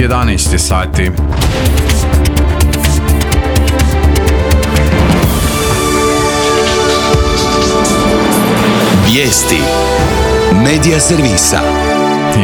11 sati. Vijesti Medija servisa.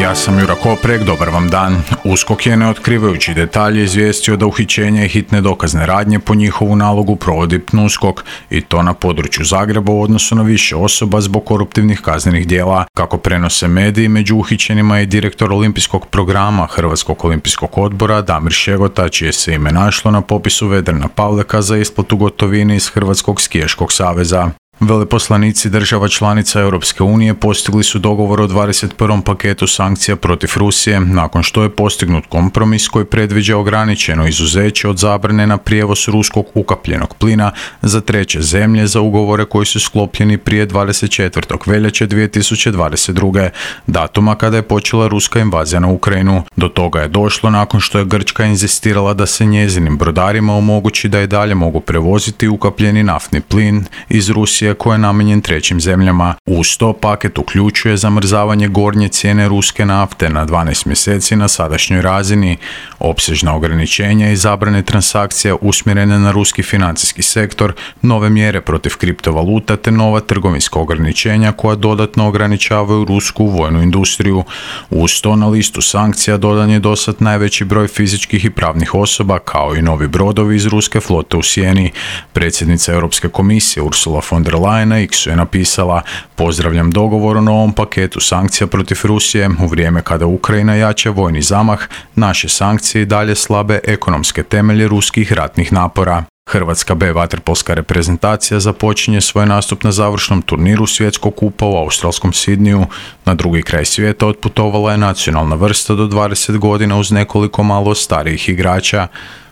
Ja sam Jura Koprek, dobar vam dan. USKOK je, ne otkrivajući detalje, izvijestio da uhićenje i hitne dokazne radnje po njihovu nalogu provodi PNUSKOK, i to na području Zagreba u odnosu na više osoba zbog koruptivnih kaznenih djela. Kako prenose mediji, među uhićenima je direktor olimpijskog programa Hrvatskog olimpijskog odbora Damir Šegota, čije se ime našlo na popisu Vedrana Pavleka za isplatu gotovine iz Hrvatskog skijaškog saveza. Veleposlanici država članica Europske unije postigli su dogovor o 21. paketu sankcija protiv Rusije, nakon što je postignut kompromis koji predviđa ograničeno izuzeće od zabrane na prijevoz ruskog ukapljenog plina za treće zemlje za ugovore koji su sklopljeni prije 24. veljače 2022. datuma kada je počela ruska invazija na Ukrajinu. Do toga je došlo nakon što je Grčka inzistirala da se njezinim brodarima omogući da i dalje mogu prevoziti ukapljeni naftni plin iz Rusije koji je namijenjen trećim zemljama. Uz to paket uključuje zamrzavanje gornje cijene ruske nafte na 12 mjeseci na sadašnjoj razini, opsežna ograničenja i zabrane transakcija usmjerene na ruski financijski sektor, nove mjere protiv kriptovaluta te nova trgovinska ograničenja koja dodatno ograničavaju rusku vojnu industriju. Uz to na listu sankcija dodan je dosad najveći broj fizičkih i pravnih osoba kao i novi brodovi iz ruske flote u sjeni. Predsjednica Europske komisije Ursula von der Leyen na X-u je napisala: "Pozdravljam dogovor o novom paketu sankcija protiv Rusije. U vrijeme kada Ukrajina jača vojni zamah, naše sankcije i dalje slabe ekonomske temelje ruskih ratnih napora." Hrvatska B vaterpolska reprezentacija započinje svoj nastup na završnom turniru svjetskog kupa u australskom Sidniju. Na drugi kraj svijeta otputovala je nacionalna vrsta do 20 godina uz nekoliko malo starijih igrača.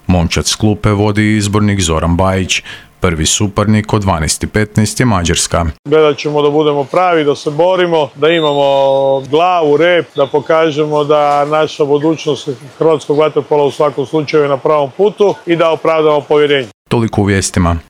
Momčad s klupe vodi izbornik Zoran Bajić. Prvi suparnik od 12:15 je Mađarska. Gledat ćemo da budemo pravi, da se borimo, da imamo glavu, rep, da pokažemo da naša budućnost hrvatskog vaterpola u svakom slučaju je na pravom putu i da opravdamo povjerenje. Toliko u vijestima.